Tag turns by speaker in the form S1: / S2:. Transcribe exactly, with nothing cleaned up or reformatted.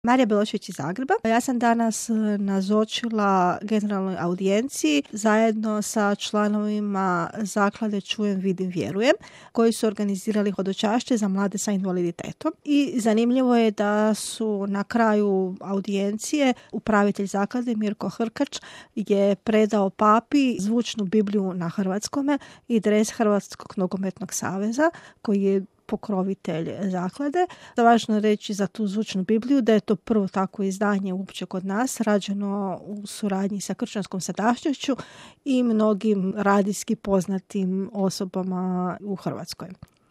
S1: Marija Belošević iz Zagreba. Ja sam danas nazočila generalnoj audijenciji zajedno sa članovima zaklade Čujem, vidim, vjerujem, koji su organizirali hodočašće za mlade sa invaliditetom. I zanimljivo je da su na kraju audijencije upravitelj zaklade Mirko Hrkač je predao papi zvučnu Bibliju na hrvatskome i dres Hrvatskog nogometnog saveza koji je pokrovitelj zaklade. Da važno reći za tu zvučnu Bibliju da je to prvo takvo izdanje uopće kod nas, rađeno u suradnji sa Kršćanskom sadašnjošću i mnogim radijski poznatim osobama u Hrvatskoj.